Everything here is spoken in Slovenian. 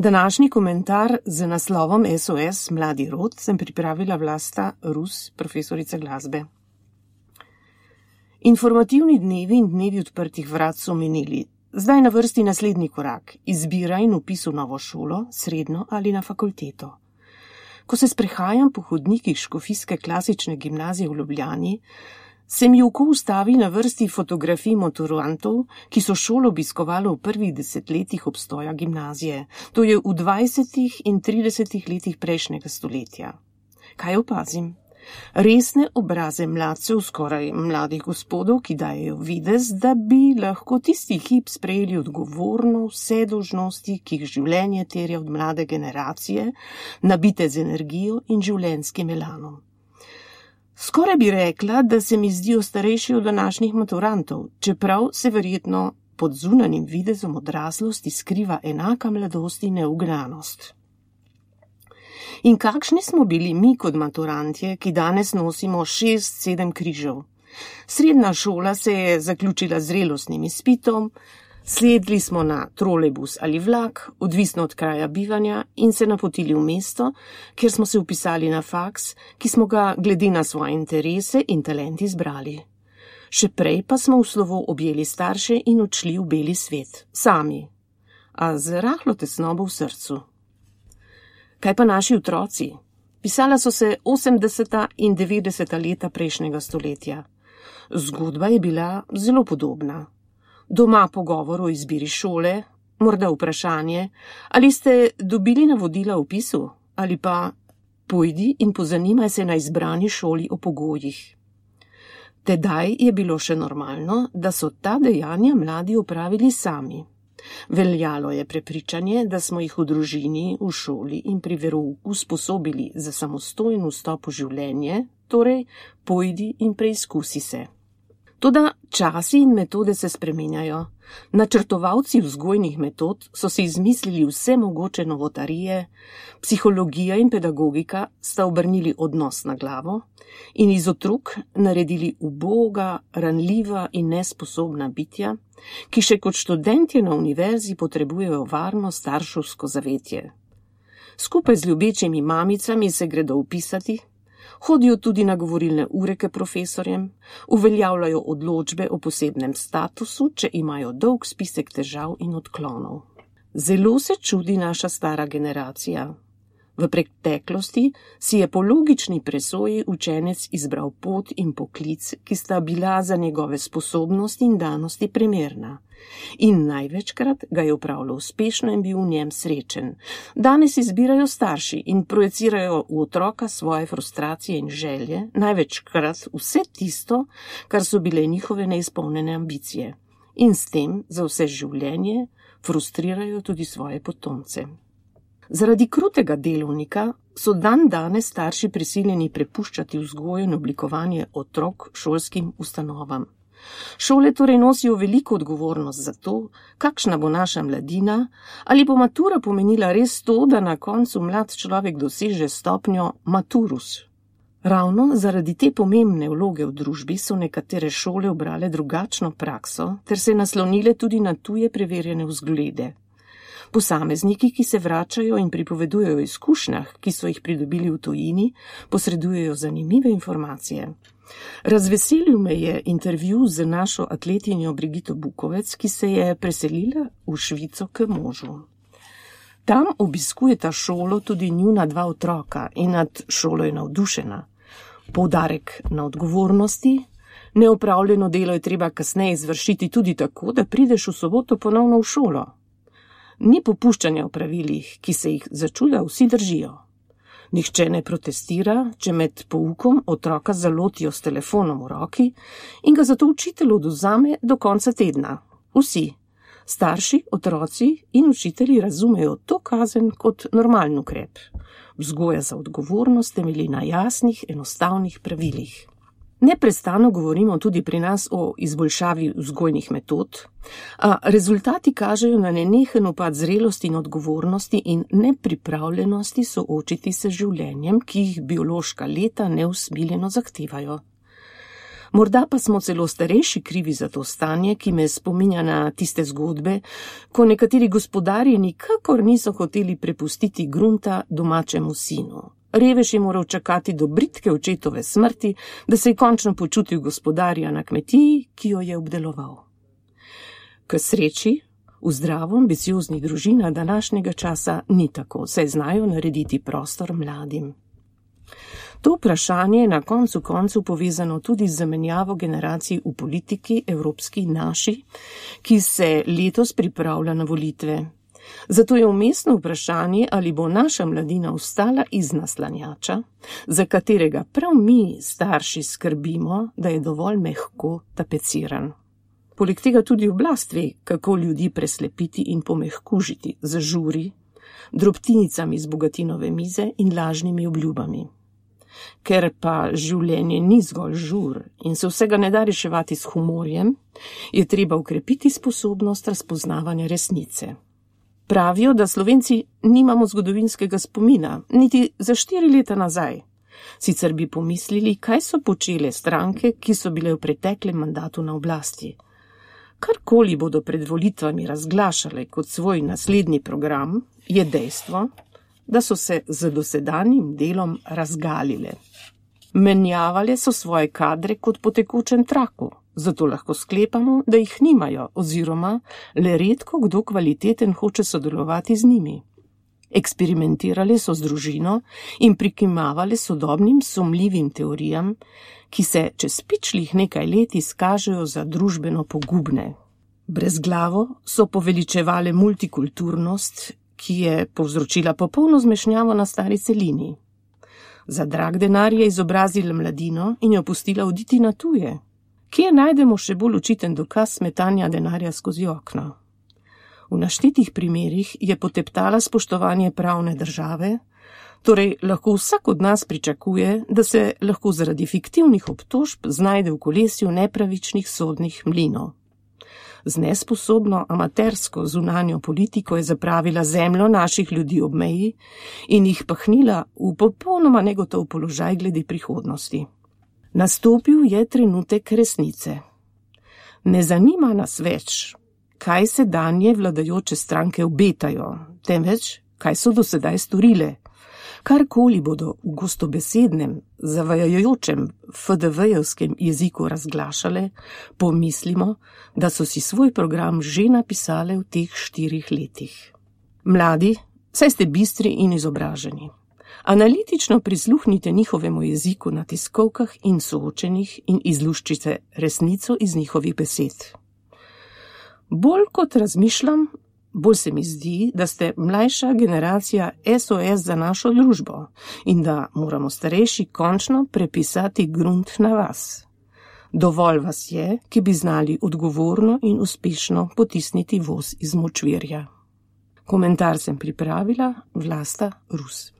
Današnji komentar z naslovom SOS Mladi rod sem pripravila Vlasta Rus, profesorica glasbe. Informativni dnevi in dnevi odprtih vrat so minili. Zdaj na vrsti naslednji korak, izbira in vpis v novo šolo, srednjo ali na fakulteto. Ko se sprehajam po hodnikih škofijske klasične gimnazije v Ljubljani, se mi oko ustavi na vrsti fotografij maturantov, ki so šolo obiskovali v prvih 10 letih obstoja gimnazije, to je v 20. in 30. letih prejšnjega stoletja. Kaj opazim? Resne obraze mladcev, skoraj mladih gospodov, ki dajejo videz, da bi lahko tisti hip sprejeli odgovorno vse dolžnosti, ki jih življenje terja od mlade generacije, nabite z energijo in življenjskim elanom. Skoraj bi rekla, da se mi zdijo starejši od današnjih maturantov, čeprav se verjetno pod zunanjim videzom odraslosti skriva enaka mladost in neugranost. In kakšni smo bili mi kot maturantje, ki danes nosimo 6-7 križev? Srednja šola se je zaključila z zrelostnim izpitom, sedli smo na trolejbus ali vlak, odvisno od kraja bivanja, in se napotili v mesto, kjer smo se vpisali na faks, ki smo ga glede na svoje interese in talent izbrali. Še prej pa smo v slovo objeli starše in odšli v beli svet, sami, a z rahlo tesnobo v srcu. Kaj pa naši otroci? Pisala so se 80. in 90. leta prejšnjega stoletja. Zgodba je bila zelo podobna. Doma pogovor o izbiri šole, morda vprašanje, ali ste dobili navodila o vpisu, ali pa pojdi in pozanimaj se na izbrani šoli o pogojih. Tedaj je bilo še normalno, da so ta dejanja mladi opravili sami. Veljalo je prepričanje, da smo jih v družini, v šoli in pri verouku usposobili za samostojen vstop v življenje, torej pojdi in preizkusi se. Toda časi in metode se spremenjajo. Načrtovalci vzgojnih metod so si izmislili vse mogoče novotarije, psihologija in pedagogika sta obrnili odnos na glavo in iz otrok naredili uboga, ranljiva in nesposobna bitja, ki še kot študentje na univerzi potrebujejo varno starševsko zavetje. Skupaj z ljubečimi mamicami se gredo vpisati, hodijo tudi na govorilne ure k profesorjem, uveljavljajo odločbe o posebnem statusu, če imajo dolg spisek težav in odklonov. Zelo se čudi naša stara generacija. V preteklosti si je po logični presoji učenec izbral pot in poklic, ki sta bila za njegove sposobnosti in danosti primerna. In največkrat ga je opravljal uspešno in bil v njem srečen. Danes izbirajo starši in projecirajo v otroka svoje frustracije in želje, največkrat vse tisto, kar so bile njihove neizpolnjene ambicije. In s tem za vse življenje frustrirajo tudi svoje potomce. Zaradi krutega delovnika so danes starši prisiljeni prepuščati vzgojo in oblikovanje otrok šolskim ustanovam. Šole torej nosijo veliko odgovornost za to, kakšna bo naša mladina, ali bo matura pomenila res to, da na koncu mlad človek doseže stopnjo maturus. Ravno zaradi te pomembne vloge v družbi so nekatere šole ubrale drugačno prakso ter se naslonile tudi na tuje preverjene vzglede. Posamezniki, ki se vračajo in pripovedujejo o izkušnjah, ki so jih pridobili v tujini, posredujejo zanimive informacije. Razveselil me je intervju z našo atletinjo Brigito Bukovec, ki se je preselila v Švico k možu. Tam obiskujeta šolo tudi njuna 2 otroka in nad šolo je navdušena. Poudarek na odgovornosti, neopravljeno delo je treba kasneje izvršiti tudi tako, da prideš v soboto ponovno v šolo. Ni popuščanja v pravilih, ki se jih začuda vsi držijo. Nihče ne protestira, če med poukom otroka zalotijo s telefonom v roki in ga zato učitelj odvzame do konca tedna. Vsi, starši, otroci in učitelji razumejo to kazen kot normalen ukrep. Vzgoja za odgovornost temelji na jasnih, enostavnih pravilih. Neprestano govorimo tudi pri nas o izboljšavi vzgojnih metod, a rezultati kažejo na nenehen upad zrelosti in odgovornosti in nepripravljenosti soočiti se z življenjem, ki jih biološka leta neusmiljeno zahtevajo. Morda pa smo celo starejši krivi za to stanje, ki me spominja na tiste zgodbe, ko nekateri gospodarji nikakor niso hoteli prepustiti grunta domačemu sinu. Revež je moral čakati do bridke očetove smrti, da se je končno počutil gospodarja na kmetiji, ki jo je obdeloval. K sreči, v zdravo ambicioznih družinah današnjega časa ni tako, saj znajo narediti prostor mladim. To vprašanje je na koncu koncev povezano tudi z zamenjavo generacij v politiki, evropski naši, ki se letos pripravlja na volitve. Zato je umestno vprašanje, ali bo naša mladina ostala iz naslanjača, za katerega prav mi, starši, skrbimo, da je dovolj mehko tapeciran. Poleg tega tudi oblast ve, kako ljudi preslepiti in pomehkužiti z žuri, drobtinicami z bogatinove mize in lažnimi obljubami. Ker pa življenje ni zgolj žur in se vsega ne da reševati s humorjem, je treba ukrepiti sposobnost razpoznavanja resnice. Pravijo, da Slovenci nimamo zgodovinskega spomina, niti za 4 leta nazaj. Sicer bi pomislili, kaj so počele stranke, ki so bile v preteklem mandatu na oblasti. Karkoli bodo pred volitvami razglašale kot svoj naslednji program, je dejstvo, da so se z dosedanjim delom razgalile. Menjavale so svoje kadre kot po tekočem traku, zato lahko sklepamo, da jih nimajo oziroma le redko kdo kvaliteten hoče sodelovati z njimi. Eksperimentirale so z družino in prikimavale sodobnim sumljivim teorijam, ki se čez pičlih nekaj let izkažejo za družbeno pogubne. Brezglavo so poveličevale multikulturnost, ki je povzročila popolno zmešnjavo na stari celini. Za drag denar je izobrazila mladino in jo pustila oditi na tuje. Kje najdemo še bolj očiten dokaz smetanja denarja skozi okno? V naštetih primerih je poteptala spoštovanje pravne države, torej lahko vsak od nas pričakuje, da se lahko zaradi fiktivnih obtožb znajde v kolesju nepravičnih sodnih mlinov. Z nesposobno amatersko zunanjo politiko je zapravila zemljo naših ljudi ob meji in jih pahnila v popolnoma negotov položaj glede prihodnosti. Nastopil je trenutek resnice. Ne zanima nas več, kaj sedanje vladajoče stranke obetajo, temveč, kaj so do sedaj storile. Karkoli bodo v gostobesednem, zavajajočem FDV-jevskem jeziku razglašale, pomislimo, da so si svoj program že napisale v teh 4 letih. Mladi, saj ste bistri in izobraženi. Analitično prisluhnite njihovemu jeziku na tiskovkah in soočenih in izluščite resnico iz njihovih besed. Bolj kot razmišljam, bolj se mi zdi, da ste mlajša generacija SOS za našo družbo in da moramo starejši končno prepisati grunt na vas. Dovolj vas je, ki bi znali odgovorno in uspešno potisniti voz iz močvirja. Komentar sem pripravila Vlasta Rus.